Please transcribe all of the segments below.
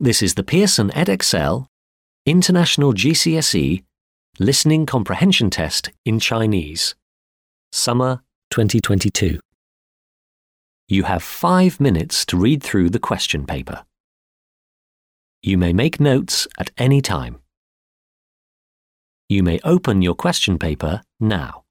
This is the Pearson Edexcel International GCSE Listening Comprehension Test in Chinese, Summer 2022. You have 5 minutes to read through the question paper. You may make notes at any time. You may open your question paper now.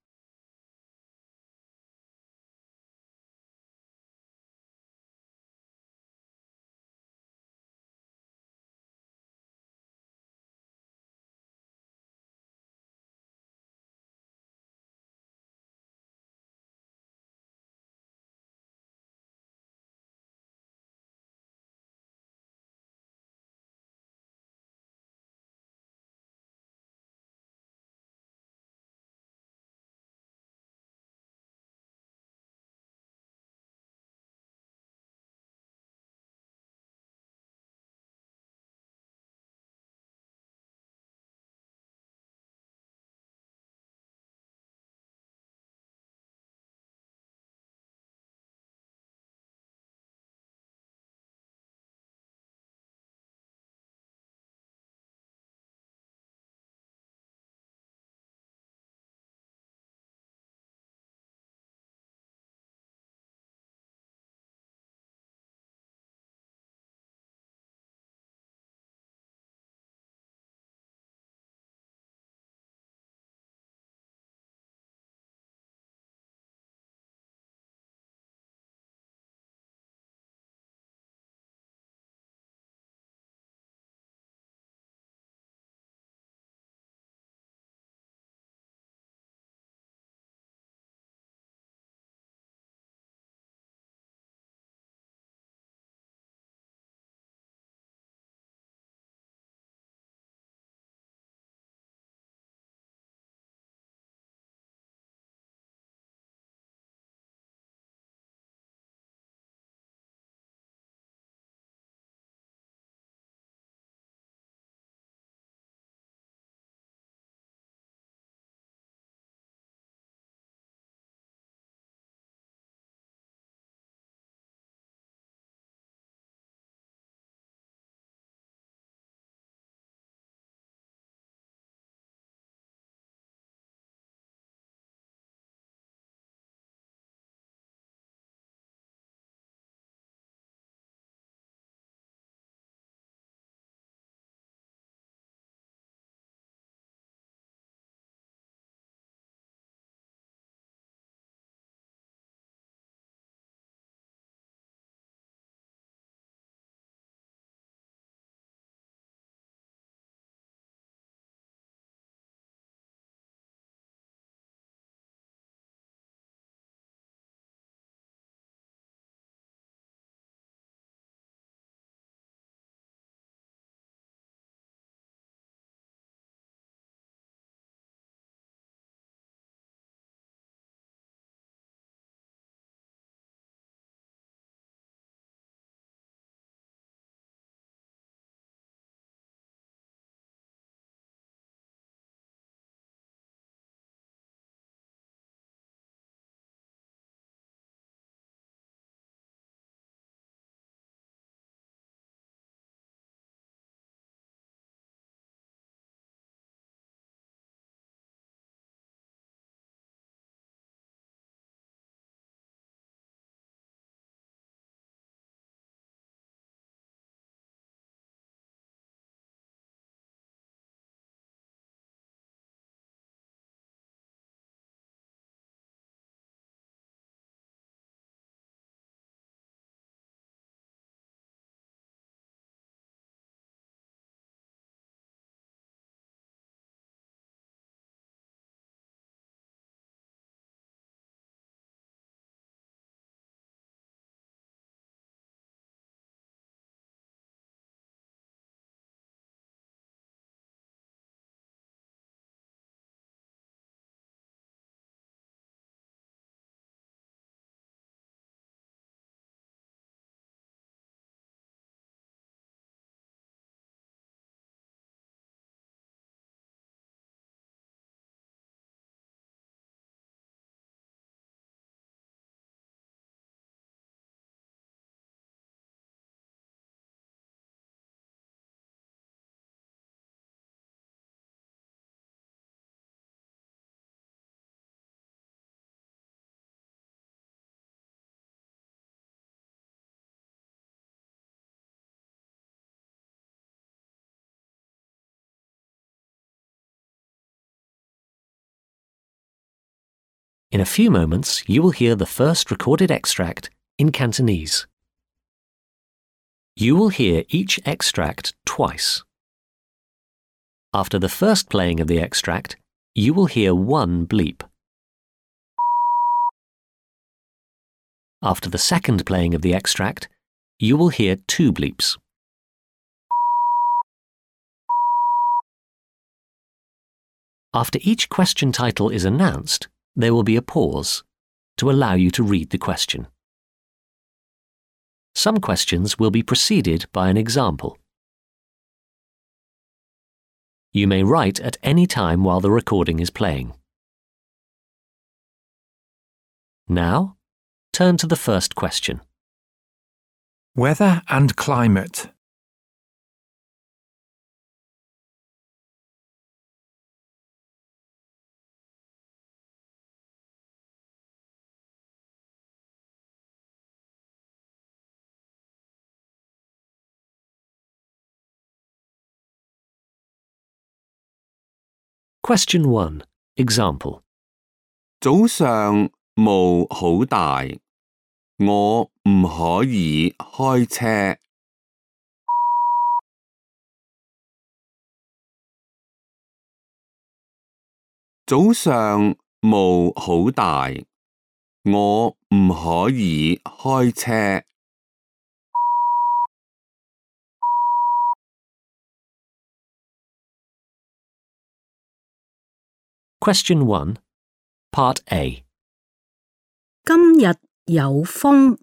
In a few moments, you will hear the first recorded extract in Cantonese. You will hear each extract twice. After the first playing of the extract, you will hear one bleep. After the second playing of the extract, you will hear two bleeps. After each question title is announced, there will be a pause to allow you to read the question. Some questions will be preceded by an example. You may write at any time while the recording is playing. Now, turn to the first question. Weather and climate. Question 1. Example. 早上霧好大，我唔可以開車。早上霧好大，我唔可以開車。Question 1. Part A. 今日有風，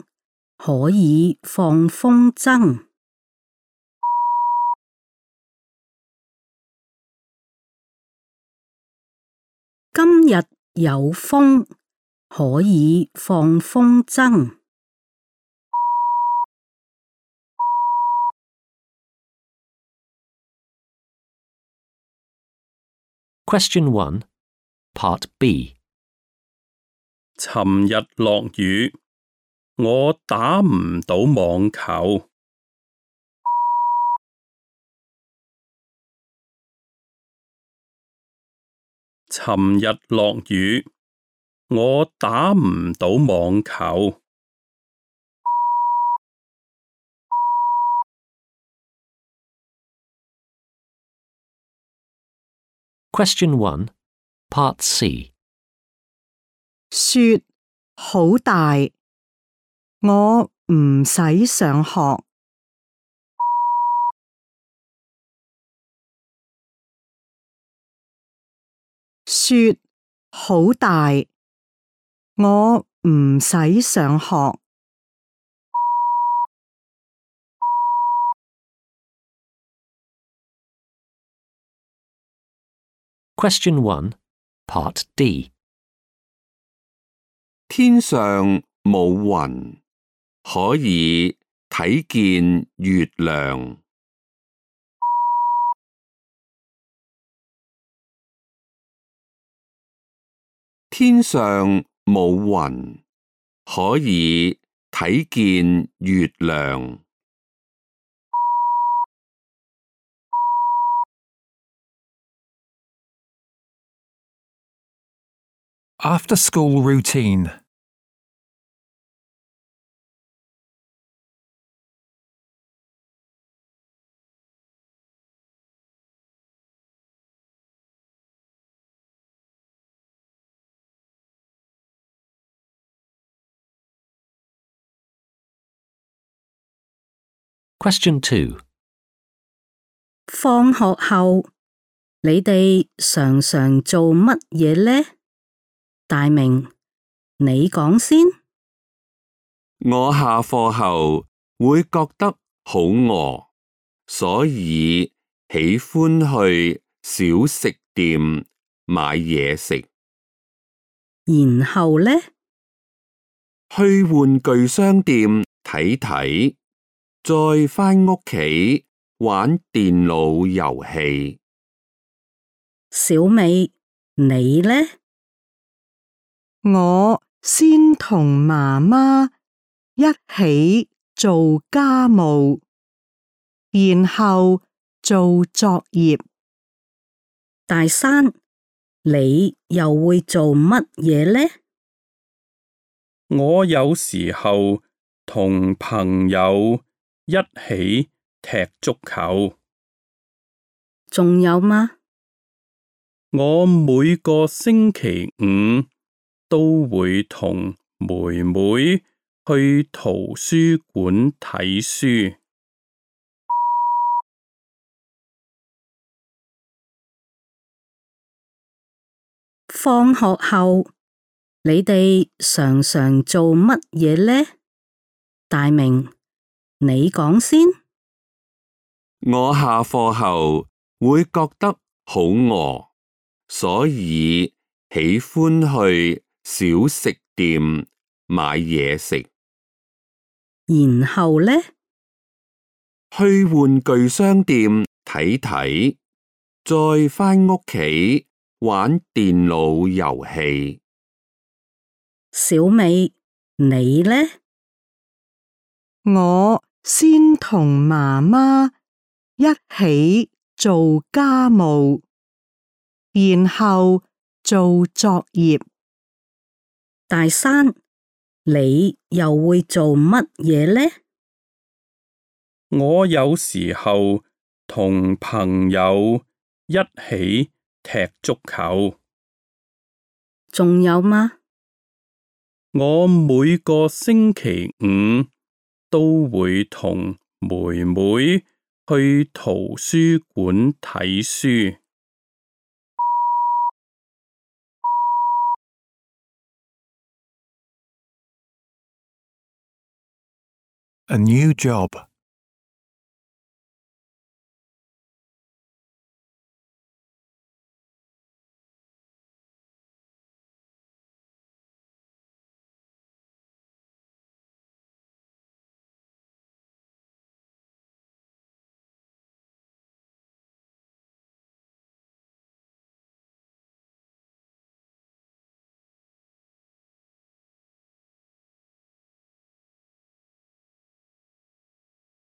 可以放風箏。今日有風，可以放風箏。Question 1. Part B. 尋日落雨，我打唔到網球。尋日落雨，我打唔到網球。Question 1. Part C. 雪好大，我唔使上學。雪好大，我唔使上學。Question 1. Part D. 天上冇雲，可以睇見月亮。天上冇雲，可以睇見月亮。After school routine. Question 2. 放學後，你哋常常做乜嘢呢？大明，你講先。我下課後會覺得好餓，所以喜歡去小食店買嘢食。然後呢？去玩具商店睇睇，再返屋企玩電腦遊戲。小美，你呢？我先同媽媽一起做家務，然後做作業。大山，你又會做乜嘢呢？我有時候同朋友一起踢足球。仲有嗎？我每個星期五都會同妹妹去圖書館睇書。放學後，你哋常常做乜嘢呢？大明，你講先。我下課後會覺得好餓，所以喜歡去小食店買嘢食。然後呢？去玩具商店睇睇，再返屋企玩電腦遊戲。小美，你呢？我先同媽媽一起做家務，然後做作業。大山，你又會做乜嘢呢？我有時候同朋友一起踢足球。仲有嗎？我每個星期五都會同妹妹去圖書館睇書。A new job.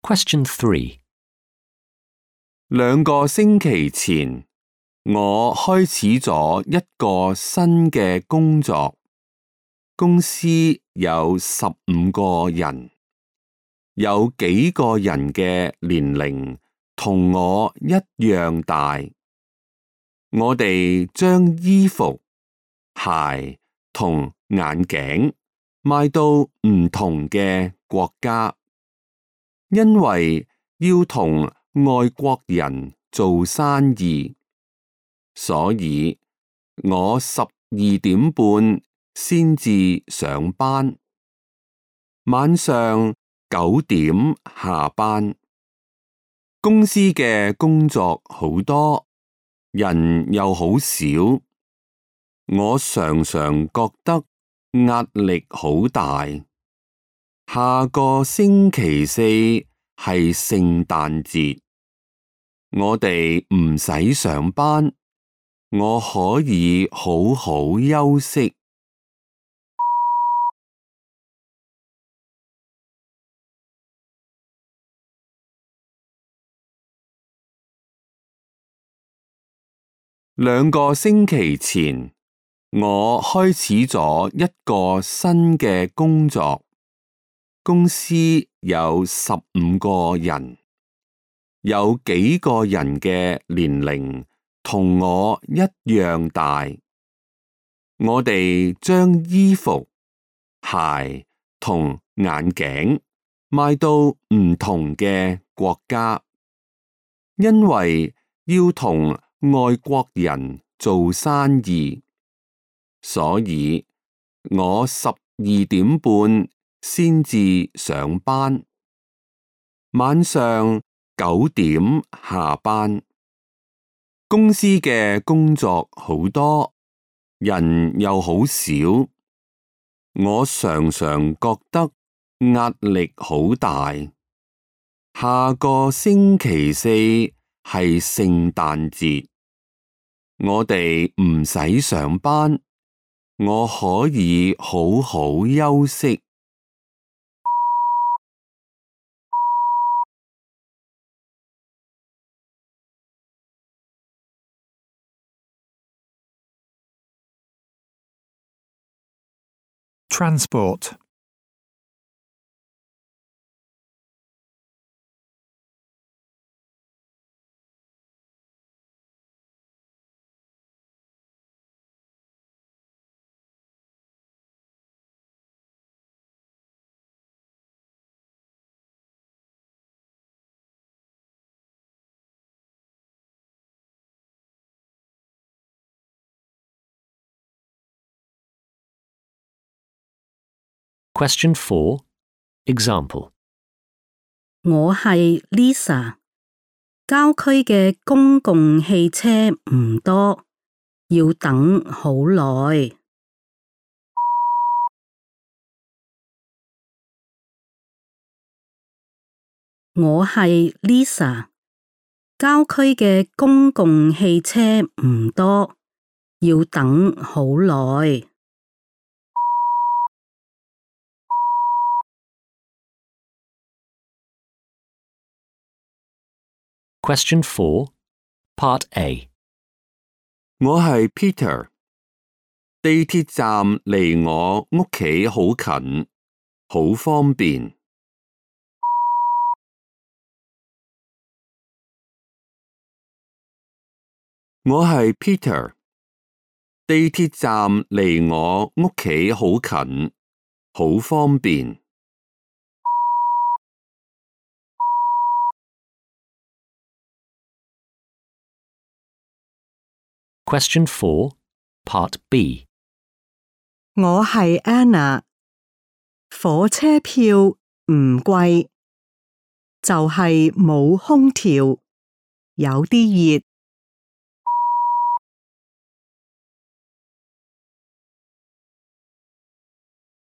Question 3. 2個星期前，我開始咗一個新嘅工作，公司有15個人，有幾個人嘅年齡同我一樣大。我哋將衣服、鞋同眼鏡賣到唔同嘅國家，因為要同外國人做生意，所以我12點半先至上班，晚上9點下班。公司嘅工作好多，人又好少，我常常覺得壓力好大。下個星期四係聖誕節，我哋唔使上班，我可以好好休息。2個星期前，我開始咗一個新嘅工作，公司有15個人，有幾個人嘅年齡同我一樣大。我哋將衣服、鞋同眼鏡賣到唔同嘅國家，因為要同外國人做生意，所以我12點半先至上班，晚上9點下班。公司嘅工作好多，人又好少，我常常覺得壓力好大。下個星期四係聖誕節，我哋唔使上班，我可以好好休息。transport, Question 4. Example. 我係 Lisa，郊區嘅公共汽車唔多，要等好耐。我係 Lisa，郊區嘅公共汽車唔多，要等好耐。Question 4. Part A. 我係 Peter，地鐵站離我屋企好近，好方便。我係 Peter，地鐵站離我屋企好近，好方便。Question 4. Part B. 我係 Anna，火車票唔貴，就係冇空調，有啲熱。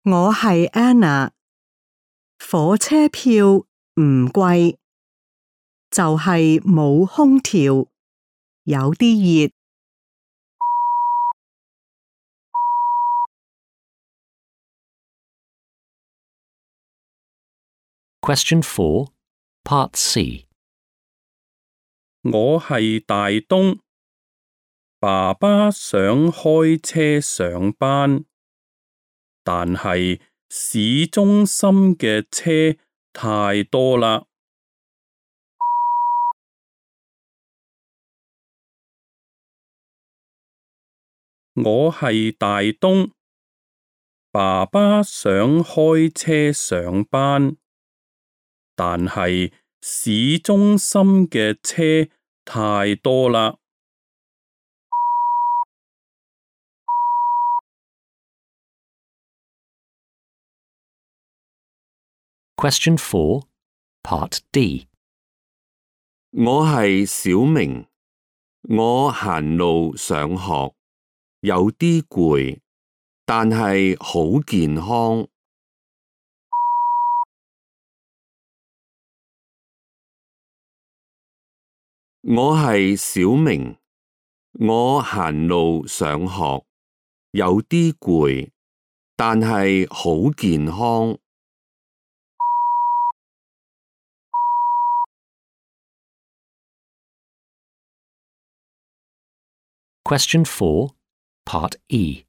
我係 Anna，火車票唔貴，就係冇空調，有啲熱。Question 4. Part C. 我係大東，爸爸想開車上班，但係市中心嘅車太多啦。我係大東，爸爸想開車上班，但係市中心嘅車太多啦。Question 4. Part D. 我係小明，我行路上學，有啲攰，但係好健康。我係小明，我行路上學，有啲攰，但係好健康。Question 4. Part E.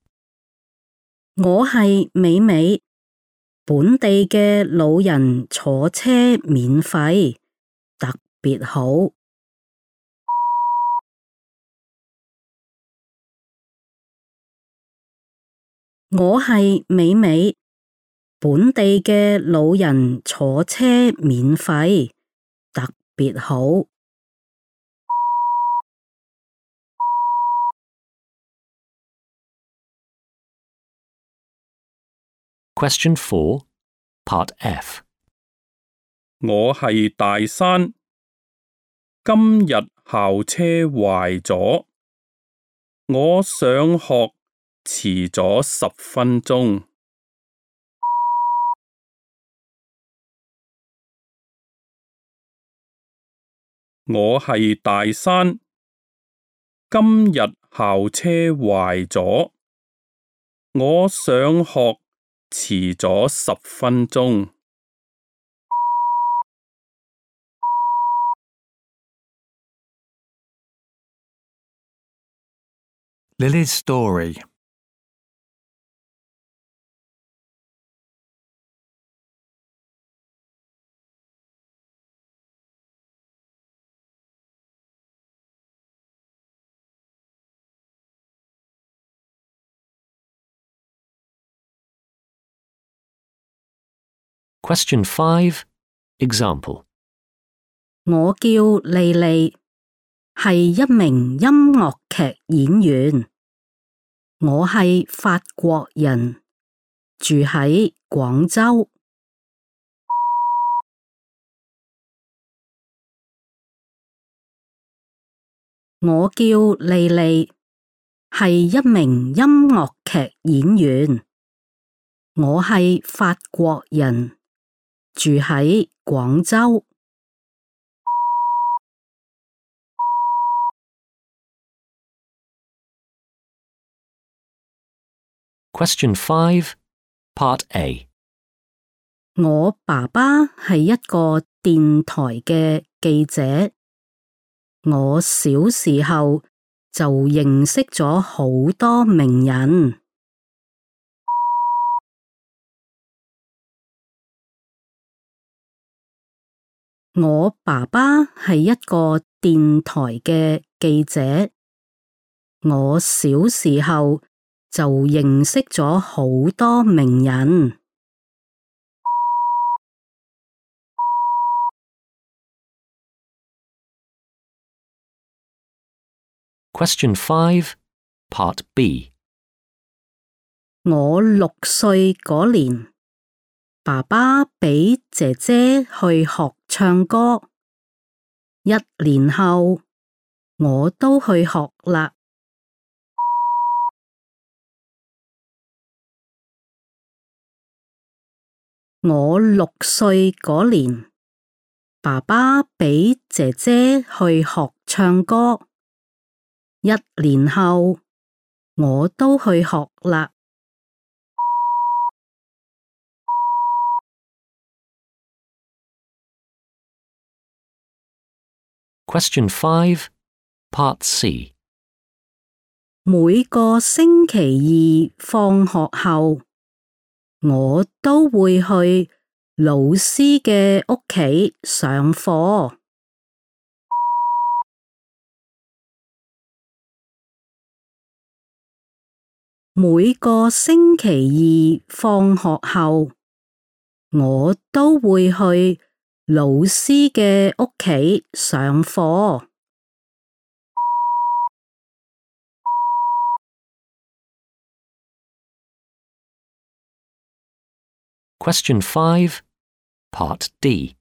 我係美美，本地嘅老人坐車免費，特別好。我係美美，本地嘅老人坐車免費，特別好。Question 4. Part F. 我係大山，今日校車壞咗，我上學遲咗10分鐘。我係大山，今日校車壞咗，我上學遲咗10分鐘。Lily's story. Question 5. Example. 我叫莉莉，係一名音樂劇演員。我係法國人，住喺廣州。我叫莉莉，係一名音樂劇演員。我係法國人，住喺廣州。Question 5. Part A. 我爸爸係一個電台嘅記者。我小時候就認識咗好多名人。我爸爸係一個電台嘅記者。我小時候就認識咗好多名人。Question 5. Part B. 我6歲嗰年，爸爸俾姐姐去學唱歌。1年後，我都去學啦。我6歲嗰年，爸爸俾姐姐去學唱歌。1年後，我都去學啦。Question 5. Part C. 每個星期二放學後，我都會去老師嘅屋企上課。每個星期二放學後，我都會去老師嘅屋企上課。Question 5. Part D.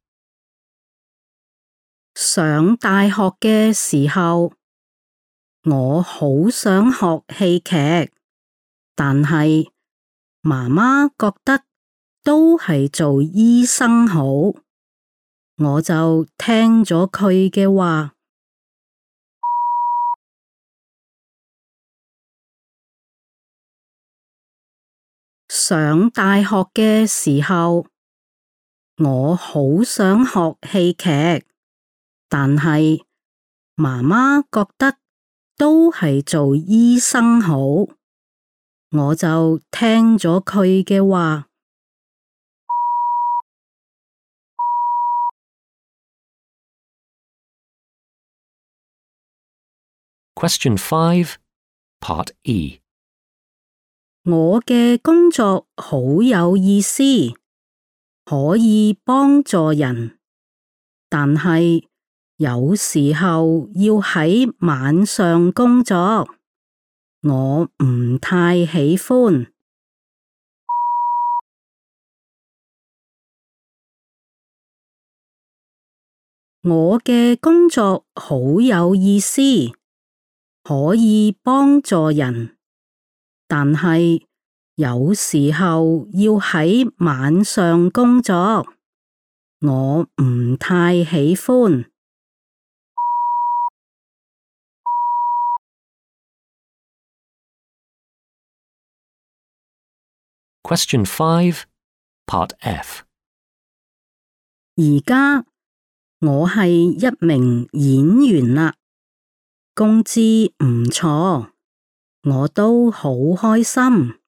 上大學嘅時候，我好想學戲劇，但係媽媽覺得都係做醫生好，我就聽咗佢嘅話。上大學嘅時候，我好想學戲劇，但係媽媽覺得都係做醫生好，我就聽咗佢嘅話。Question 5. Part E. 我嘅工作好有意思，可以幫助人，但係有時候要喺晚上工作，我唔太喜歡。我嘅工作好有意思，可以幫助人，但係有時候要喺晚上工作，我唔太喜歡。Question 5. Part F. 而家我係一名演員啦，工資唔錯，我都好開心。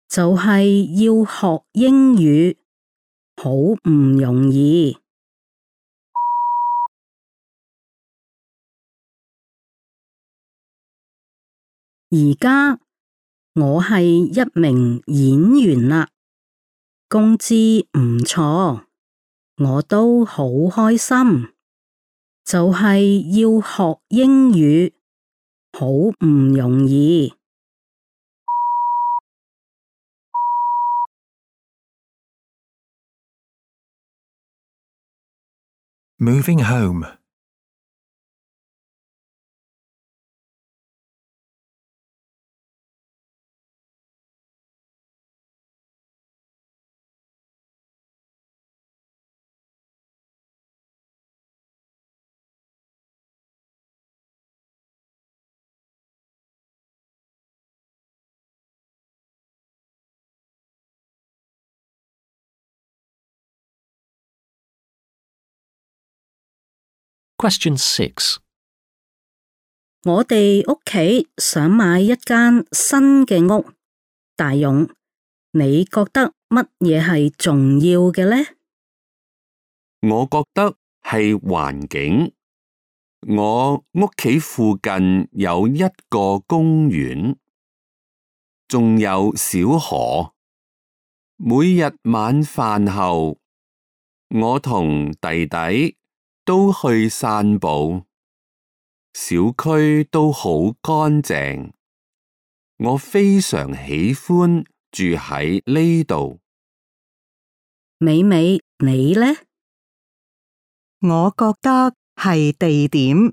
就係要學英語，好唔容易。而家我係一名演員啦，工資唔錯，我都好開心。就係要學英語，好唔容易。Moving home. Question 6. 我哋屋企想買一間新嘅屋，大勇，你覺得乜嘢係重要嘅呢？我覺得係環境。我屋企附近有一個公園，仲有小河。每日晚飯後，我同弟弟都去散步。小區都好乾淨，我非常喜歡住喺呢度。美美，你呢？我覺得係地點。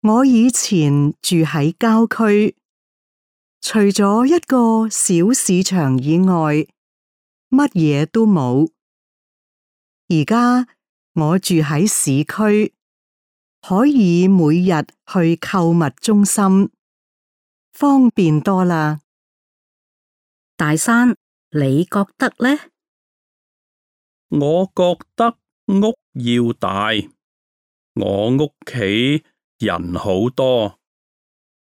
我以前住喺郊區，除咗一個小市場以外，乜嘢都冇。而家我住喺市區，可以每日去購物中心，方便多啦。大山，你覺得呢？我覺得屋要大，我屋企人好多，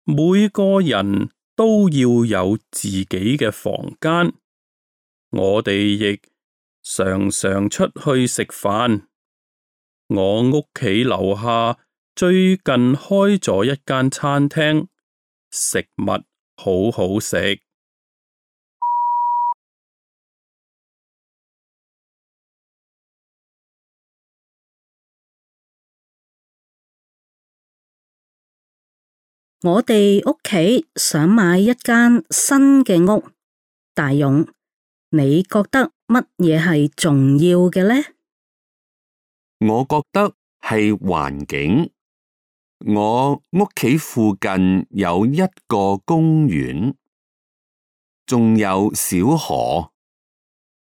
每個人都要有自己嘅房間。我哋亦常常出去食飯。我屋企樓下最近開咗一間餐廳，食物好好食。我哋屋企想買一間新嘅屋，大勇，你覺得乜嘢係重要嘅呢？我覺得係環境。我屋企附近有一個公園，仲有小河。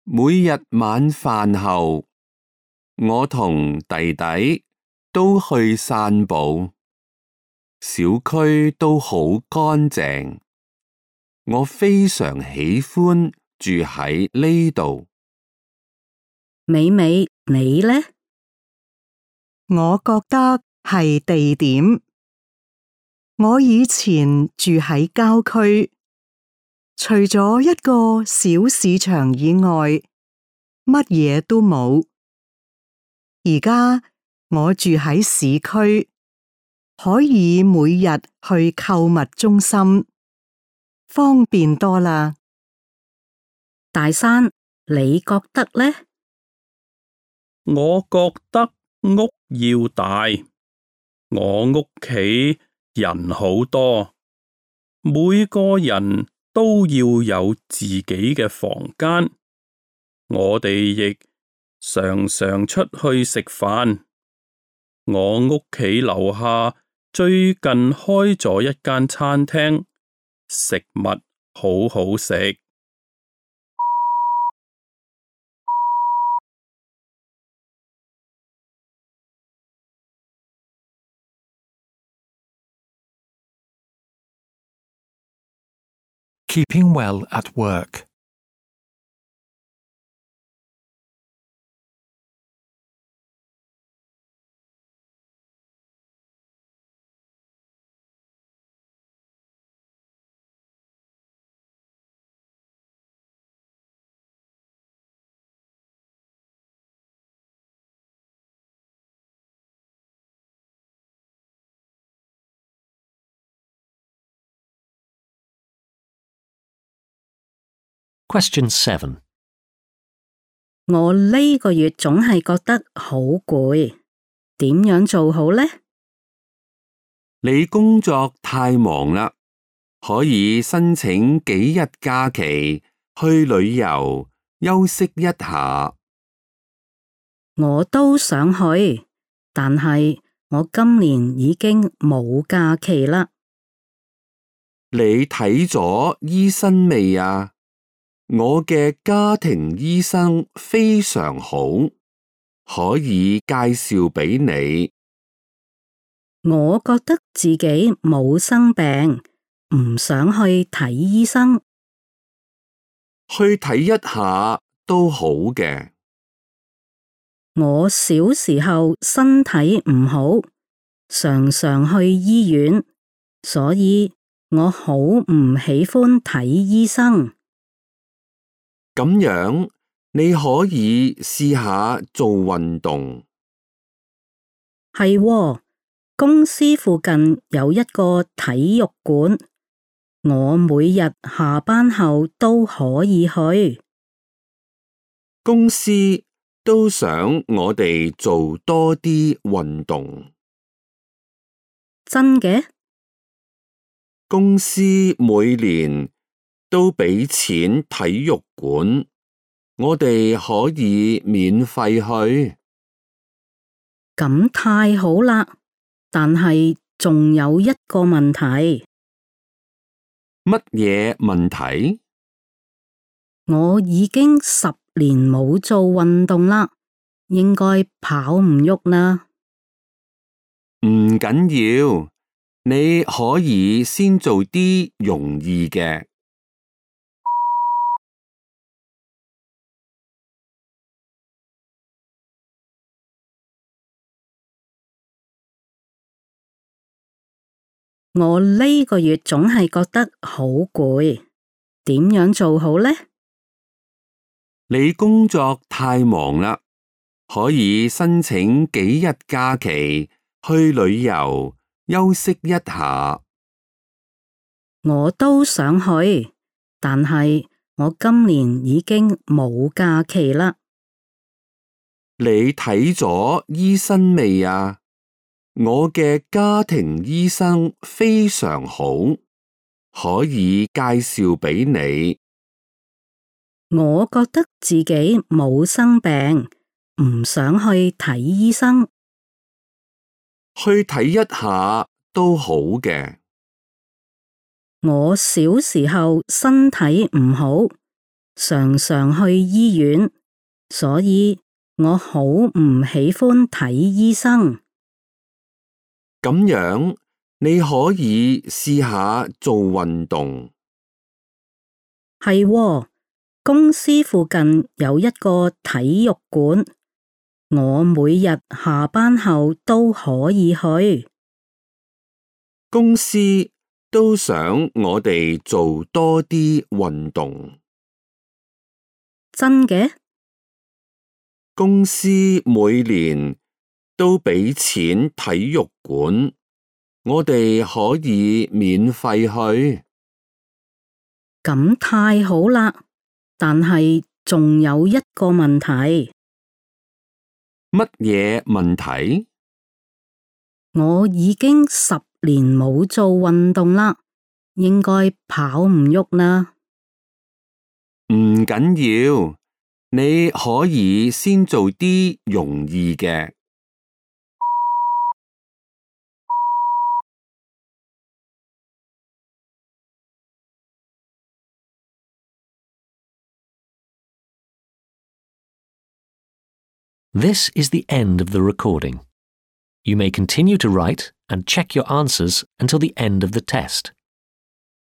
每日晚飯後，我同弟弟都去散步。小區都好乾淨，我非常喜歡住喺呢度。美美，你呢？我覺得係地點。我以前住喺郊區，除咗一個小市場以外，乜嘢都冇。而家我住喺市區，可以每日去購物中心，方便多啦。大山，你覺得呢？我覺得屋要大，我屋企人好多，每個人都要有自己嘅房間。我哋亦常常出去食飯。我屋企樓下最近開咗一間餐廳，食物好好食。Keeping well at work. Question 7. 我呢個月總係覺得好攰，點樣做好呢？你工作太忙啦，可以申請幾日假期去旅遊休息一下。我都想去，但係我今年已經冇假期啦。你睇咗醫生未啊？我嘅家庭醫生非常好，可以介紹俾你。我覺得自己冇生病，唔想去睇醫生。去睇一下都好嘅。我小時候身體唔好，常常去醫院，所以我好唔喜歡睇醫生。咁樣你可以試下做運動。係喎，公司附近有一個體育館，我每日下班後都可以去。公司都想我哋做多啲運動。真嘅？公司每年都俾錢體育館，我哋可以免費去。咁太好啦，但係仲有一個問題。乜嘢問題？我已經10年冇做運動啦，應該跑唔喐啦。唔緊要，你可以先做啲容易嘅。我呢個月總係覺得好攰，點樣做好呢？你工作太忙啦，可以申請幾日假期去旅遊休息一下。我都想去，但係我今年已經冇假期啦。你睇咗醫生未啊？我嘅家庭醫生非常好，可以介紹俾你。我覺得自己冇生病，唔想去睇醫生。去睇一下都好嘅。我小時候身體唔好，常常去醫院，所以我好唔喜歡睇醫生。咁樣你可以試下做運動。係喎，公司附近有一個體育館，我每日下班後都可以去。公司都想我哋做多啲運動。真嘅？公司每年都俾錢體育館，我哋可以免費去。咁太好啦，但係仲有一個問題。乜嘢問題？我已經10年冇做運動啦，應該跑唔喐啦。唔緊要，你可以先做啲容易嘅。This is the end of the recording. You may continue to write and check your answers until the end of the test.